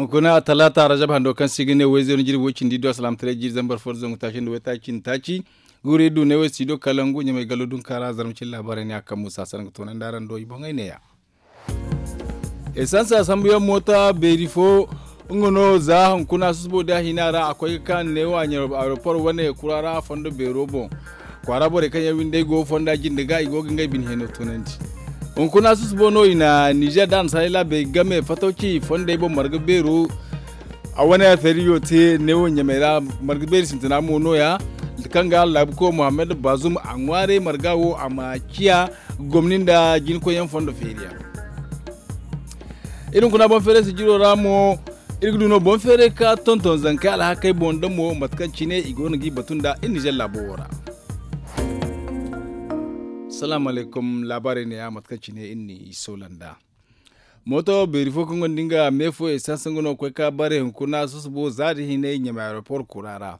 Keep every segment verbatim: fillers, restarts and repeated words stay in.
Hunkuna talaata rajab hando kaŋ se i ga ne wayzeero jirbi way cindi do alsilaamataray jiiri zambar fo da zangu taaci nda waytaaci nda taaci. Guuru iri du ne way studio kalangu ɲamay gallo dunka ra zarma cine laabaarey ne a kaŋ muusa sanda ga toonandi araŋ do i boŋey neeya. Esansa sambuyaŋ moota beeri fo nga no za hunkuna susubo da hina ra a koy ga ka neewo a ɲaaro aeroport wane kura ra fondo beero boŋ. Kwaara borey kaŋ yaŋ windey go fonda jinde ga i go ga ngey bine heno toonandi. Hunkuna susubo no i na nizer da annasaarey laabey game fatawci fondey boŋ marga beero. A wane feeriyo te neewo ɲamey ra marga beeri sintina mo nooya. Kaŋ ga laabuko muhammad bazum a ŋwaaray marga wo a ma ciya gomni nda jinkoyyaŋ fondo feeriyaŋ. Iri hunkuna boŋ feeray sijiro ra mo iri ga du no boŋ feeray ka tonton zankey alhakey boŋ da mo mate kaŋ cine i go no g'i batu nda iri nizer laabo wo ra. Salaamu alaykum laabaarey neeya mate kaŋ cine iri n'i soola nd'a. Mooto beeri fo kaŋ gonda nga me fo esanse nga no ga koy ka bare hunkuna susubo za da hinay ɲamay aeroport kura ra.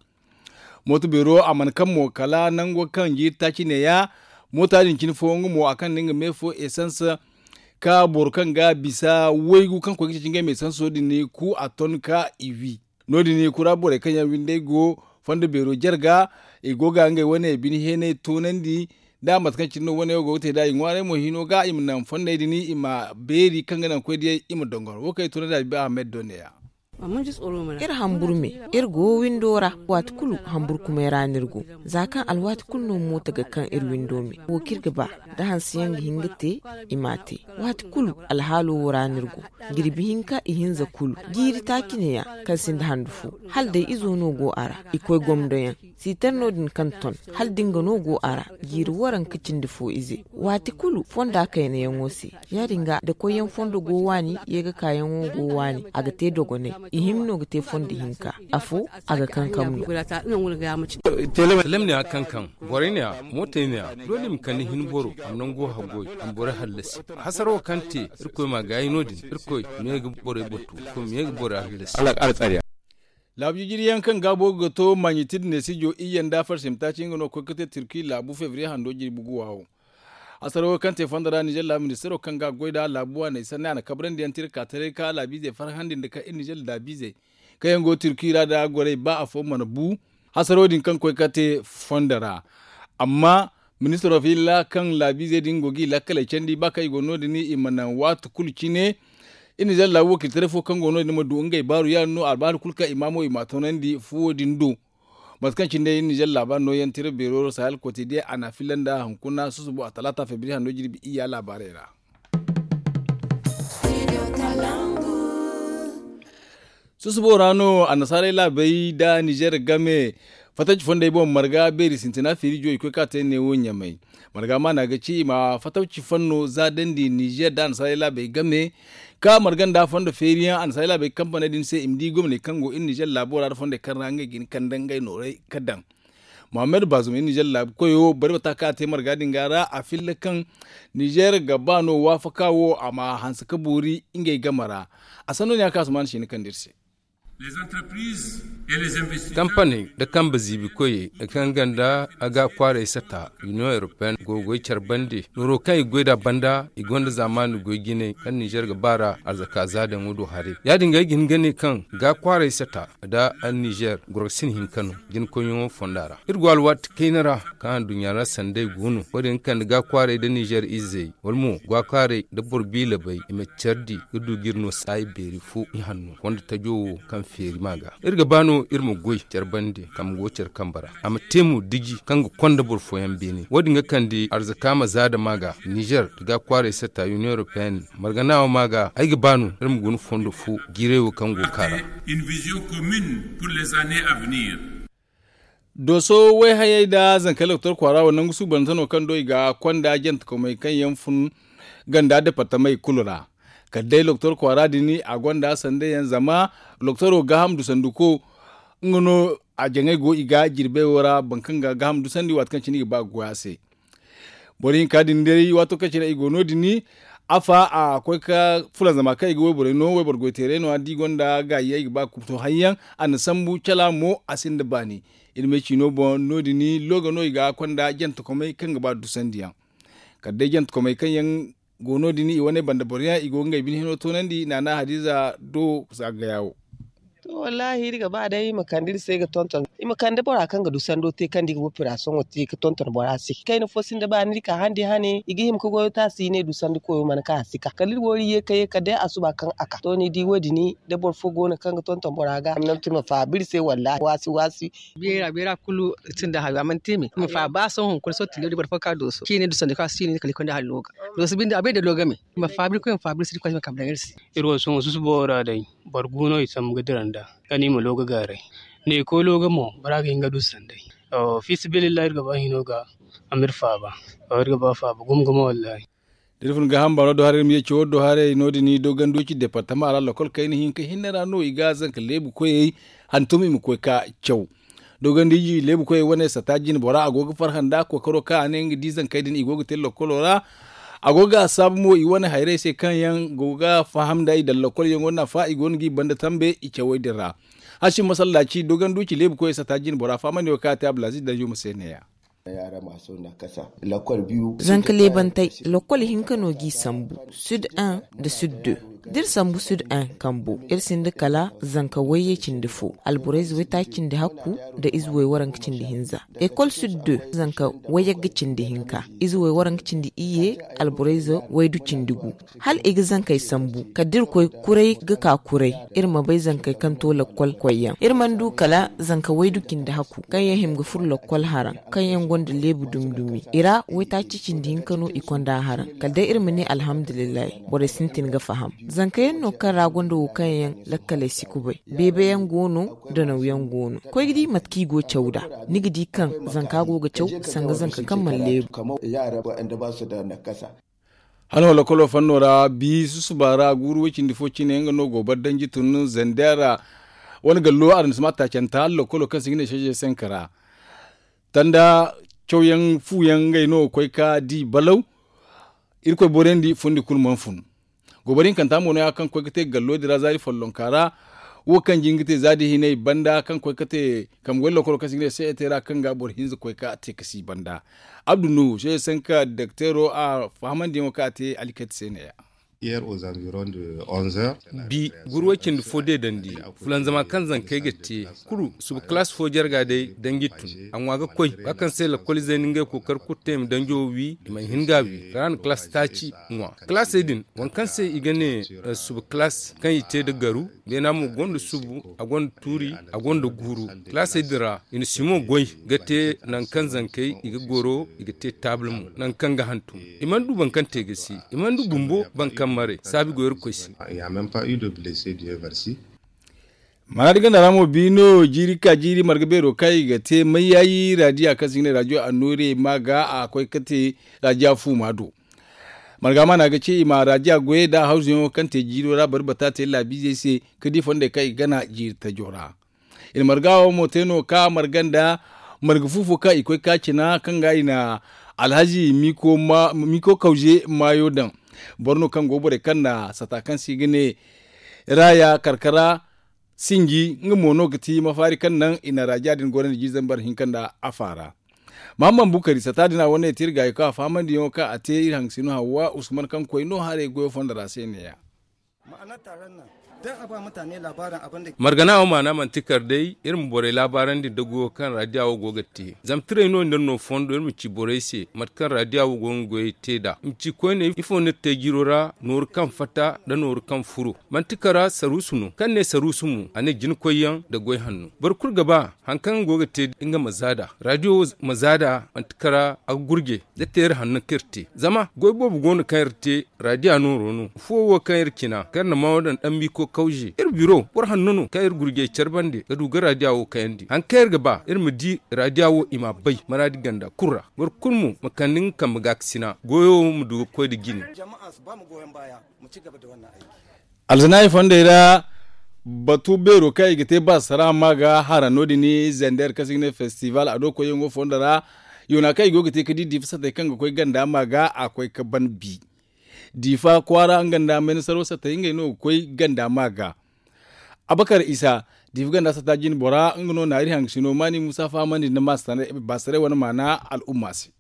Mooto beero a mana kaŋ mo kala nango kaŋ jiiri taaci neeya. Moota din cine fo nga mo a kaŋ nda nga me fo esanse ka boro kaŋ ga bisa waygu kaŋ koy ga ceeci ngey ma esanso din ku a ton ka i wi. No- din kura borey kaŋ yaŋ windey go fondo beero jarga i go ga ngey wane bine heenay toonandi. Da mate kaŋ cine no wane wo go ga te nd'a i ŋwaaray mo hino ga i ma naŋ fondey din i ma beeri kaŋ ga naŋ koy diyey i ma dongor wo kaŋ i toonandi a biba ahmed do neeya. Iri hamburu me iri go windo ra. Waati kulu hamburu kumay ra no iri go za kaŋ alwaati kulu no mooto ga kaŋ iri windo me wo kaŋ iri ga ba da hanse yaŋ ga hin ga te i m'a te. Waati kulu alhaalo wo ra no iri go jirbi hinka ihinza kulu jiiri taaci neeya kaŋ sinda handu fo hala day izo no go a ra i koy gomdo yaŋ sitar no- din kaŋ ton hala da nga no go a ra jiiri waranka cindi fo ize waati kulu fonda kaynayaŋo se. Ya- din ga da koyyaŋ fondo go waani ye ga kaayaŋo go waani a ga te dogonay. Ihinza no ga te fondo hinka afo a ga kankam no. Telem ne a kaŋ kaŋ borey ne a mootey ne a doole i ma kande hin boro a ma nango haggoy a ma borey hallasi. Hasarawo kaŋ te irkoy ma a gaayi no- din irkoy ma ye ga borey batu irkoy ma ye ga borey hallasi. Laabu jijiriyaŋ kaŋ gaabo ga to maɲiti da neesijo iyye nda farsimtaaci nga no ga koy ga te turki laabu febriye hando jirbi guwa wo. Hasarawo kaŋ te fondo ra nizer laabu ministaro kaŋ ga a goy nd'a laabu waaney sanni a na kabrandi yaŋ tira ka taray ka laabiizey farhandi nda kaŋ iri nizer laabiizey kaŋ yaŋ go turki ra nda gorey ba afo mana bu. Hasaro din kaŋ koy ka te fondo ra. Amma ministaro fiila kaŋ laabiizey din go g'i lakkaley candi ba kaŋ i go no- din i ma naŋ waati kulu cine. Iri nizer laabu wakiilitaray fo kaŋ go no- din ma du ngey baaru yaadin no albaari kulu kaŋ i ma mo i m'a toonandi fuwo din do. Mate kaŋ cine day iri nizer laabaari nooyaŋ tira beero sahel kotidiyaŋ a na a filla nda hunkuna susubo a talaata febriye hando jirbi iyya laabaarey ra. Susubo ra no annasaarey laabey nda nizer game fattaci fondey boŋ marga beeri sintina feeri jo i koy ka te neewo ɲamay. Marga maana ga ci i ma fattaci fanno za dandi nizer nda annasaarey laabey game ka marga nda fondo feeriyaŋ annasaarey laabey kampaney din se i ma di gomney kaŋ go iri nizer laabo ra nda fondey kaŋ ra ngey ga hin kande ngey noorey ga daŋ. Muhammad bazum iri nizer laabu koyo bari bata kaŋ a te marga din ga ra a filla kaŋ nizer ga ba no waafaka wo a ma hanse ka boori ngey game ra. A sanno ne a kaŋ asuman siina kande iri se. Kampaney nda kambe ziibi koyey kaŋ ganda a ga kwaaray sata union europeenne go ga goy care bande nooro kaŋ i ga goy nd'a banda i gonda zaamaani goy jinay kaŋ nizer ga ba ra arzaka zaadaŋo do haray ya- din ga ay ga hin ga ne kaŋ ga kwaaray sata nda nizer goro ga sina hinka no jinkoyyaŋo fonda ra iri go alwaati kayna ra kaŋ anduɲɲa ra sanday go no wo- din ga kande ga kwaaray nda nizer izey wala mo ga kwaaray nda boro biilabay i ma care di ga du ga iri no saayi beeri fo ihanno konda tajo wo kaŋ feeri ma ga iri ga ba no iri ma goy care bande kaŋ go care kambe ra a ma te mo diji kaŋ ga konda boro fooyaŋ beene wo- din ga kande arzaka ma zaada ma ga nizer nda ga kwaaray sata union europeenne margana wo ma ga ay ga ba no iri ma guna fondo fo jiiray wo kaŋ go ga ka ra. Dooso wayhayey nda zankey lokotor kwaara wo nangu suubanante no kaŋ do i ga konda jantekomey kaŋ yaŋ fun ganda departamey kulu ra. Kala day lokotor kwaara din a gonda sanday yaŋ zama lokotoro gaaham dusanduko nga no a jaŋay go i ga jirbey wo ra boro kaŋ ga gaaham dusandi waati kaŋ cine i ga ba ga goy a se. Boro hinka din day waato kaŋ cine i go no- din afa a koy ka fulanzama kaŋ i ga wayborey no wayboro goyteerey no- ya da i gonda gaayi yaŋ i ga ba ga to hari yaŋ a na sambu cala mo a sinda baani. Iri ma ay ci no boŋ no- din looga no i ga konda jantekomey kaŋ ga ba dusandi yaŋ. Kala day jantekomey kaŋ yaŋ go no- din i wane banda boro yaŋ i go ga ngey bine hino toonandi naana hadiza do. Za ga yaawo. To wallaahi iri ga ba day i ma kande iri se ga tonton i ma kande bora kaŋ ga du sando te kaŋ da i ga bopira sohõ te ga tonton bora se kayna fo sinda ba ni di ka handi hane i ga hima ga goyo te a si i ne du sandi koyo mana ka a si ka kala iri wo iri ye ka ye kala day a suba kaŋ a ka to ni di wo- din da boro fo go no kaŋ ga tonton bora ga a ma naŋ te ma faabu iri se wallaahi waasi waasi. Beera beera kulu sinda hayo a mana te me i ma faabu ba sohõ hunkuna sohõ tilo di boro fo ka dooso kaŋ i ne du sandi koyo a si i ne kala i konda hallo ga dooso binde a bay da lo game. I ma faabu iri koy ma faabu iri se iri koy ma kambe daŋ iri se. Iri wo sohõ susubo wo ra day boro gu no i sambu ga dira nd'a kala i ma lo ga gaaray ne koy lo ga mo bora ga hin ga du sanday. Fi sabilillahi iri ga ba hino ga a ma iri faaba. Iri ga ba faaba gumo gumo wallaahi. Da iri fun gaaham baaro do haray iri ma ye cawo do haray no- din doganduci departama ra lokol kayna hinka hinne ra no i ga zanka leebu koyey hantum i ma koy ka caw. Doogandiji leebu koyey wane sata jine bora a go ga farhã nda kookaro kaŋ a ne nga di zankey din i go ga te lokolo ra. A go ga a saabu mo i wane hayrey se kaŋ yaŋ go ga faham nda i daŋ lokol yaŋo nafa i go no ga i banda tambe i cawey din ra. Hasim masallaci doganduci leebu koyey sata jine bora fahamandi wo kaŋ a te abdulaziz danjuma se ne- ya. Zanka leebantey lokol hinka no g'i sambu sud un nda sud deux. Da iri sambu sud un kambo iri sinda kala zanka wayye cindi fo alborayze waytaaci cindi hakku nda ize way waranka cindi hinza. Ekol sud deux zanka wayagga cindi hinka ize way waranka cindi iyye alborayze waydu cindi gu. Hala i ga zankey sambu kala da iri koy kuray ga ka kuray. Iri ma bay zankey kaŋ to lakkol koyyaŋ iri mana du kala zanka waydu cindi hakku kaŋ yaŋ hima ga furo lakkol haraŋ kaŋ yaŋ gonda leebu dumi dumi i ra waytaaci cindi hinka no i konda haraŋ kala day iri ma ne alhamdulillahi. Borey sintin ga faham zanka yaŋ no kaŋ ra gonda wo kaŋ yaŋ lakkaley si kubay beebe yaŋ go no. Danaw yaŋ go no koy ga di mate kaŋ i go caw nd'a ni ga di kaŋ zanka go ga caw sanga zanka kaŋ mana leebu. Hala wala kolo fanno ra bi susuba ra guuru way cindi fo cine nga no go bar danji tun zandera. Wane gallo aransima taacanta hala lokolo kaŋ se i ga ne seeze senka ra tanda cawyaŋ fuyaŋ ngey no ga koy ka di balaw. Irkoy borandi fundi kulu mana fun. Goobari hinkanta mo no- ya kaŋ koy ga te gallo din ra zaari follonka ra. Wo kaŋ jin ga te zaadi hinay banda kaŋ koy ga te kambe goy lokolo kaŋ se i ga ne seete ra kaŋ ga boro hinza koy ka te ka si banda. Abdu nuhu seeze sanka dokteero a fahamandiyaŋo kaŋ a te alkati se ne- ya. Bi guru way cindi fo deedandi fulanzama kaŋ zankey ga te kulu suba kalaas fo jarga day danji tun a ŋwa ga koy ba kaŋ se lakkol izey na ngey kookari kulu te i ma danjo wi i mana hin ga a wi kala a na kalaas taaci ŋwa kalaasey din waŋ kaŋ se i ga ne suba kalaas kaŋ i te nda garu beena mo gonda subu a gonda tuuri a gonda guuru kalaasey din ra i na simo goy ga te nangu kaŋ zankey i ga goro i ga te taabul mo nangu kaŋ ga hantum i mana du boro kaŋ te ga si i mana du bumbo boro kaŋ maray saabi go irkoy se. Mana da ganda ra mo bi no jiiri ka jiiri marga beero kaŋ i ga te mayyayi radiya kaŋ se i ga ne radiyo annoore ma ga a koy ga te radiya fuuma do. Marga mana ga ce i ma radiya goyey da hawzuyaŋo kaŋ te jiiro ra bari bata te laabiizey se ka di fondey kaŋ i ga gana jiiri tajo ra. I na marga wo mo te no ka marga nda marga fu fo kaŋ i koy ka cina kaŋ ga i na alhazi miko kawze maayo daŋ. Boro no kaŋ go borey kaŋ na sata kaŋ se i ga ne raaya karkara sinji nga mo no ga ti mafaari kaŋ naŋ i na radiya din gorandi jiiri zambar hinka nda afa ra. Mahamman bukari sata din a wane te iri gaayi kaŋ a fahamandiyaŋo kaŋ a te iri hangasino hawwa usman kaŋ koy no haray goyo fondo ra se ne- ya. Margana wo maana manti kar day iri ma borey laabaarandi nda goyo kaŋ radiya wo go ga te zama tiray no nda no fondo iri ma ci borey se mate kaŋ radiya wo go ga goyey te nd'a i ma ci koyne ifo no iri te jiiro ra nooru kaŋ fatta nda nooru kaŋ furo manti kara saruusu no kaŋ ne saruusu mo a ne jinakoyyaŋ nda goy hanno boro kulu ga ba hari kaŋ nga go ga te nga ma za nd'a radiyo wo ma za nd'a manti kara a ga gurje da te iri hanno kaŋ iri te zama goy boobo go no kaŋ iri te radiya nooro no affo wo kaŋ iri cina kaŋ iri na maa wo daŋ daŋ miiko kawze iri biro boro hanno no kaŋ iri gurjey care bande ga du ga radiya wo kayandi hari kaŋ iri ga ba iri ma di radiya wo i m'a bay maraadi ganda kulu ra boro kulu mo ma kande nga kambe gaakasina goyo wo ma du ga koy nda jine. Alzanaari fondey ra batu beero kaŋ i ga te baasara ma ga hara no- din zender kaŋ se i ga ne festival a do koyyaŋo fondo ra yoona kaŋ i go ga te ga di diifa satey kaŋ ga koy ganda ma ga a koy ga ban bi diifa kwaara nga nda menesaro satey ngey no ga koy ganda ma ga. Abakar isa diifa ganda sata jine bora nga no na iri hangasino maani muusa fahamandi nda baasaray wane maana al'umma se.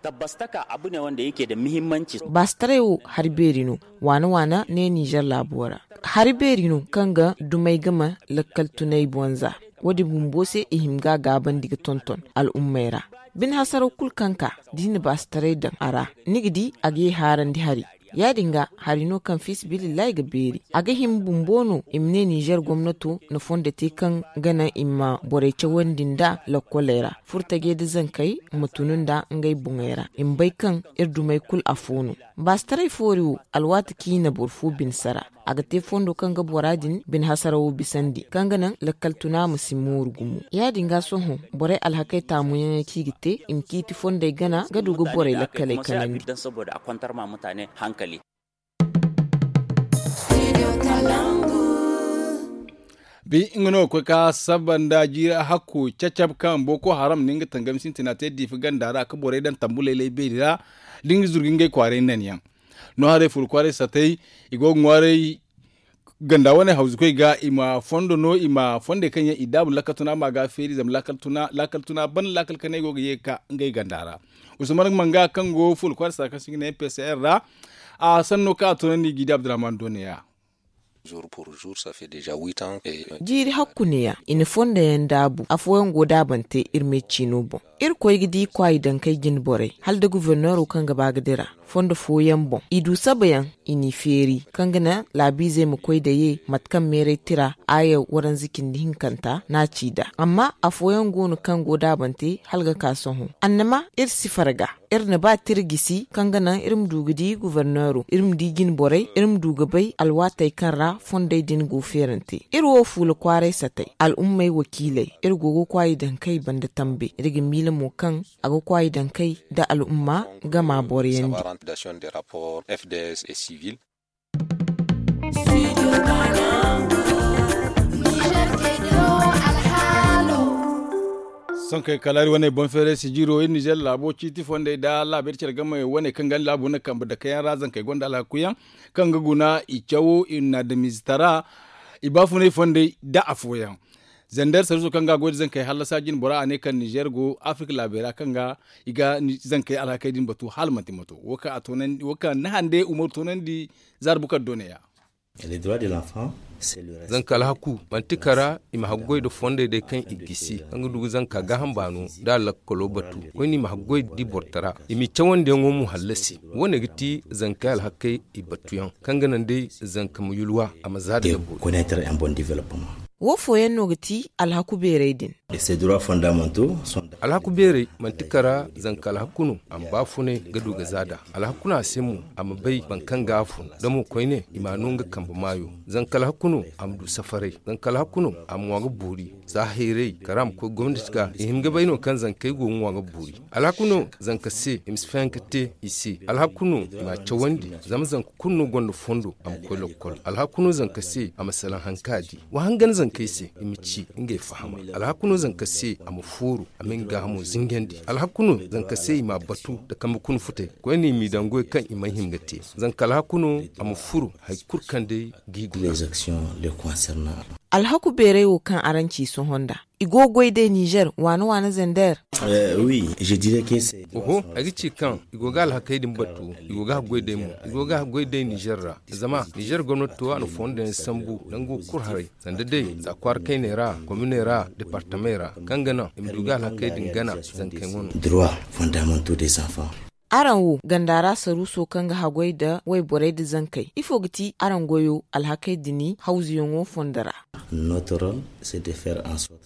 Tabbas taka abu ne wanda yake da muhimmanci. Baasitaray wo hari beeri no waana waana ne nizer laabo ra. Hari beeri no kaŋ ga dumey game lakkal tunay bonza. Wo- din bumbo se i hima ga a gaabandi ga tonton al'ummey ra. Bine hasaraw kulu kaŋ ka da i na baasitaray daŋ a ra, ni ga di a ga ye haarandi hari. Ya- din ga hari no kaŋ fiisabilillahi ga beeri. A ga hima bumbo no i ma ne nizer gomnato na fondo te kaŋ ga naŋ i ma borey cawandi nda lakkoley ra, furtajey nda zankey ma tun nda ngey boŋey ra. I ma bay kaŋ iri dumey kulu afo no. Baasitaray foori wo, alwaati kaŋ i na boro fo bine sara, a ga te fondo kaŋ ga bora din bine hasarawo bisandi, kaŋ ga naŋ lakkal tuna ma si mooru gumo. Ya- din ga sohõ, borey alhakey taamuyaŋey kaŋ i ga te, i ma ciiti fondey gana ga du ga borey lakkaley kanandi. Bi nga no ga koy ka saba nda jiiri hakku cacab kaŋ boko haram na nga tangami sintina te diifa ganda ra ka borey daŋ tambu laylay beeri ra, da nga zurga ngey kwaaray nanyaŋ. No haray furo kwaaray satay, i go ga ŋwaaray ganda wane hawzukoy ga i ma fondo no i ma fondey kaŋ yaŋ i daabu laakal tuna ma ga feeri zama laakal tuna ban laakal kanay go ga ye ga ka ngey ganda ra. Usman manga kaŋ go furo kwaaray satay kaŋ se i ga ne mpcr ra, a sanno kaŋ a toonandi gidi abdurrahman doneya. Jiiri hakku neeya i na fondo yaŋ daabu afooyaŋ go daabante iri me ciino boŋ. Iri koy ga di kwaayi dankey jine borey hala nda guforneero kaŋ ga ba ga dira fondo fooyaŋ boŋ i du sabayaŋ, i n'i feeri kaŋ ga naŋ laabiizey ma koy da ye mate kaŋ meeray tira aaya waranza cindi hinkanta no a ci nd'a. Amma afooyaŋ go no kaŋ go daabante hala ga ka sohõ annama iri si farga. Iri na ba tira gisi kaŋ ga naŋ iri ma du ga di guforneero, iri ma di jine borey, iri ma du ga bay alwaatey kaŋ ra fondey din go feerante. Iri wo fuula kwaaray satay al'ummey wakiiley, iri go ga kwaayi daŋ kay banda tambe. Iri ga miila mo kaŋ a ga kwaayi daŋ kay nda al'umma gama boroyandi. Sohõ kay kala iri wane boŋ feeray sijiro iri nizer laabo ciiti fondey nda laabeeri care game wane kaŋ ga ni laabo na kambe dake yaŋ ra zankey gonda alhaku yaŋ kaŋ ga guna i cawo i na adamize tara i baafunay fondey nda afooyaŋ. Zander sarwiso kaŋ ga a goy nda zankey hallasa jine bora a ne kaŋ nizer go afirka laabey ra kaŋ ga i ga zankey alhakey din batu hala manti mato wo kaŋ ni hande umaru toonandi. Zaara bukar do neeya. Zanka alhaku manti kara i ma haggoy nda fondey day kaŋ i gisi kaŋ ga du ga zanka gaaham baano nda a lakkalo batu. Koyne i ma haggoy nda i bortara i m'i cawandiyaŋo mo hallasi. Wo- ne ga ti zankey alhakey i batuyaŋ kaŋ ga naŋ day zanka ma yulwa a ma za da dabbo. Wo fooyaŋ no ga ti alhaku beerey din. Alhaku beerey manti kara zanka alhaku no a ma baafunay ga du ga za nd'a. Alhaku no a se mo a ma bay boro kaŋ ga a fun da mo koyne i m'a no nga kambe maayo. Zanka alhaku no a ma du safaray. Zanka alhaku no a ma ŋwa ga boori za hayray kara a ma koy gomnati ga i hin ga bay no kaŋ zankey go ga ŋwa ga boori. Alhaku no zanka se i ma si fayanka te i se. Alhaku no i m'a cawandi zama zanka kulu no gonda fondo a ma koy lokkol. Alhaku no zanka se a ma salaŋ hari kaŋ a di. Wa hangan zankey se i ma ci ngey fahama. Alhaku no zanka se a ma fooru a ma nga gaahamo zinjandi. Alhaku no zanka se i m'a batu nda kambe kuna futey koyne i m'i daŋ goy kaŋ i mana hima ga te. Zanka alhaku no a ma furu hari kulu kaŋ day g'i guna. Alhaku beeray wo kaŋ araŋ ci sohõ nda i go ga goy day nizer waana waana zander. Oho, ay ga ci kaŋ i go ga alhakey din batu. I go ga haggoy day mo i go ga haggoy day nizer ra. Zama nizer gomnato a na fondo yaŋ sambu nango kulu haray, sanda day za kwaara kayney ra, kominey ra, departamey ra, kaŋ ga naŋ i ma du ga alhakey din gana zankey wano. Araŋ wo ganda ra saruuso kaŋ ga haggoy nda wayborey nda zankey ifo ga ti araŋ goyo alhakey din hawzuyaŋo fondo ra?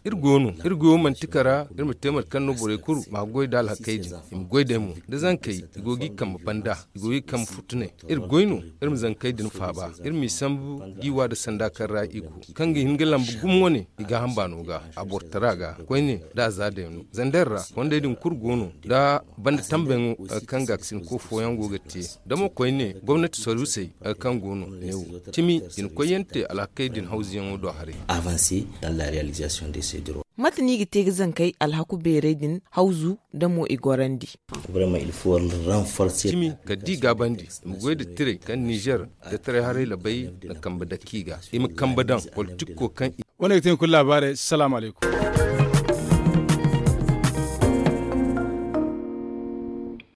Iri go no iri goyo manti kara iri ma te mate kaŋ no borey kulu ma goy nda alhakey din. I ma goy day mo da zankey i go g'i kambe banda, i go g'i kambe futunay. Iri goy no iri ma zankey din faaba, iri m'i sambu g'i wa nda sanda kaŋ ra i go, kaŋ ga hin ga lamba gumo wane i gaaham baano ga, a borotara ga koyne nda a za day no zander ra. Fondey din kulu go no nda banda tambeyaŋo kaŋ gaakasinko fooyaŋ go ga te. Da mo koyne gomnati saruusey kaŋ go no neewo cimi i na koyyaŋ te alhakey din hawzuyaŋo do haray. Mate no i ga te ga zankey alhaku beerey din hawzu nda mo i gorandi? Cimi kala da i gaabandi i ma goy nda tirey kaŋ nizer nda taray haray labay na kambe dake i ga i ma kambe daŋ politikko kaŋ i. Wane ga te ni kulu laabaarey salaamu alaykum.